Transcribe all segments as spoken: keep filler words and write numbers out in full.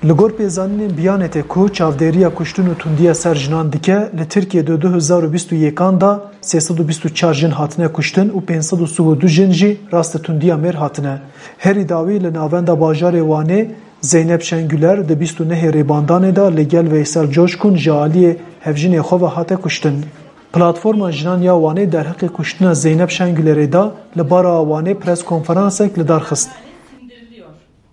Li gor pêzanînên Biyanetê ku çavdêriya kuştin û tundiya ser jinan dike, li Tirkiyê di du hezar û bîst û yekan de sê sed û bîst û çar jin hatine kuştin û pênc sed û sî û du jin jî rastî tundiya mêr hatine. Herî dawî li navenda bajarê Wanê Zeynep Şengüler di bîst û nehê rêbandanê de li gel Veysel Coşkun ji aliyê hevjinê xwe ve hate kuştin. Platforma Jinan ya Wanê derheqê kuştina Zeynep Şengülerê de li Bara Wanê pres konferansek li dar xist.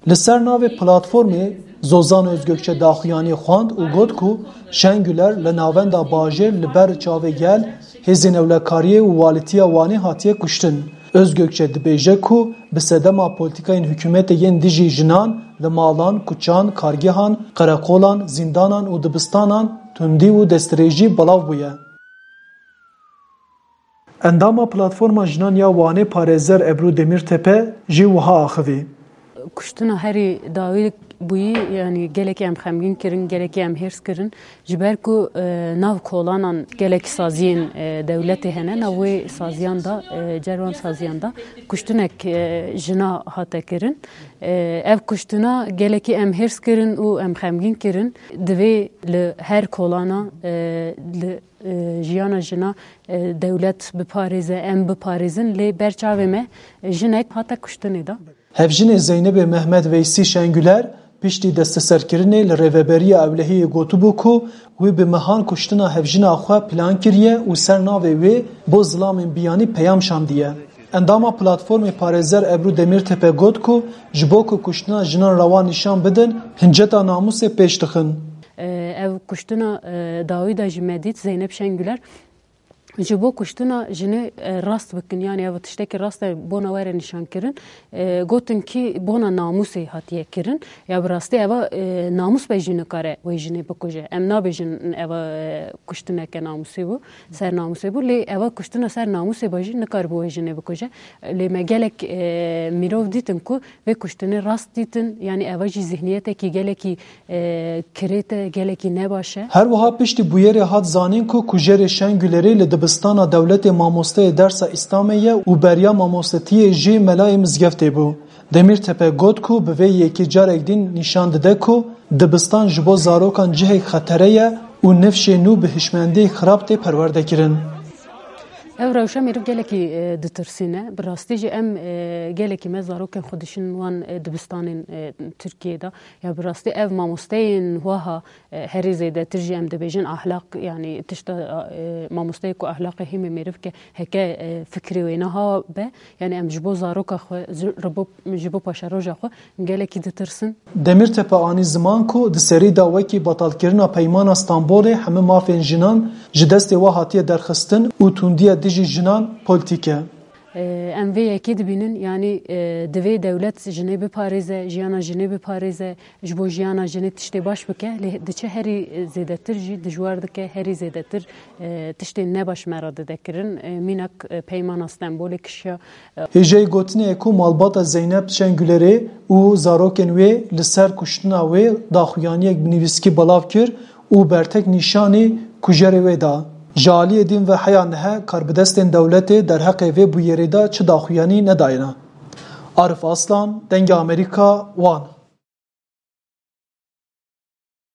Li ser navê platformê Zozan Özgökçe daxuyaniyê xwend û got ku Şengüler li navenda bajêr li ber çavê gel, hêzên ewlekariyê û walîtiya Wanê hatiye kuştin. Özgökçe dibêje ku bi sedema polîtîkayên hikûmetê yên dijî jinan li malan, kuçan, kargehan, qereqolan, zîndanan û dibistanan tundî û destdirêjî belav bûye. Endama Platforma Jinan ya Wanê parêzer Ebru Demirtepe jî wiha axivî. Kuştina herî dawî bûyî, yanî gelekî em xemgîn kirin, gelekî em hêrs kirin. Ji ber ku, e, nav kolanan gelekî saziyên, e, dewletê hene, nav wê saziyan de, e, cerwan saziyan de kuştinek, e, jina hate kirin. E, ev kuştina gelekî em hêrs kirin û em xemgîn kirin. Divê li her kolana, e, li e, jiyana jina, e, dewlet biparêze, em biparêzin, lê ber çavê me, e, jinek hate kuştinê de. Hevjinê Zeynebê Mehmet Veysî Şengüler piştî desteserkirinê li Rêveberiya Ewlehiyê gotibû ku wî bi mehan kuştina hevjina xwe plan kiriye û ser navê wê bo zilamên biyanî peyam şandiye. Endama Platformê Parêzer Ebru Demirtepe got ku ji bo ku kuştina jinan rewa nîşan bidin, hinceta namûsê pêş dixin. E, ev kuştina, e, dawî de jî me dît, Zeynep Şengüler, ji bo kuştina jinê, e, rast bikin, yanî ev tiştekî rast e, bona were nîşan kirin. E, gotin kî bona namûsê hatiye kirin. Ya bi rastî eva, e, namûs be jî nikare wê jinê bikuje. Em nabêjin eva, e, kuştineke namûsê bû, ser namûsê bû, lê eva kuştina ser namûsê be jî nikare bi wê jinê bikuje. Lê me gelek, e, mirov dîtin ku vê kuştinê rast dîtin, yanî eva jî zihniyetekî gelekî, e, kirêt e, gelekî nebaş e. Her wiha piştî bûyerê hat zanîn ku kujerê Şengülerê li dibistana dewletê mamosteyê dersa Îslamê ye û beriya mamostetiyê jî melayê mizgeftê bû. Demirtepe got ku bi vê yekê carek din nîşan dide ku dibistan ji bo zarokan cihek xetere ye û nifşê nû bi hişmendiyek xirab tê perwerdekirin. Ev rewşa mêrû gelekî, e, ditirsîne. Bi rastî jî em, e, gelekî me zarokên xwe dişin wan, e, dibistanên, e, Tirkiyê de. Ya bi rastî ev mamosteyên wiha, e, herî zêdetir jî em dibêjin ahlak, yanî tişta, e, mamosteyê ku ahlaqê hîmê mêrivke heke, e, fikrê wê niha be, yanî em ji bo zaroka xwe, ji, ji bo, ji bo paşeroja xwe gelekî ditirsin. Demirtepe anî ziman ku di serî de wekî betalkirina Peymana Stenbolê hemî mafên jinan ji destê we hatiye derxistin û tundiya dijî jinan polîtîk e. Em vê yekê dibînin, yanî, e, divê dewlet jinê biparêze, jiyana jinê biparêze, ji bo jiyana jinê tiştê baş bike, lê diçe herî zêdetir jî dijwar dike, herî zêdetir, e, tiştên nebaş me re dide kirin. E, mînak, e, Peymana Stenbolê kişiya, Hêjayî gotinê ye ku malbata Zeynep Şengülerê û zarokên wê li ser kuştina wê daxuyaniyek bi nivîskî belav kir û bertek nîşanî kujerê wê da. Ji aliyê din ve heya niha karbidestên dewletê derheqê vê bûyerê de çi daxuyanî nedayene. Arif Aslan, Dengê Amerîka, Wan.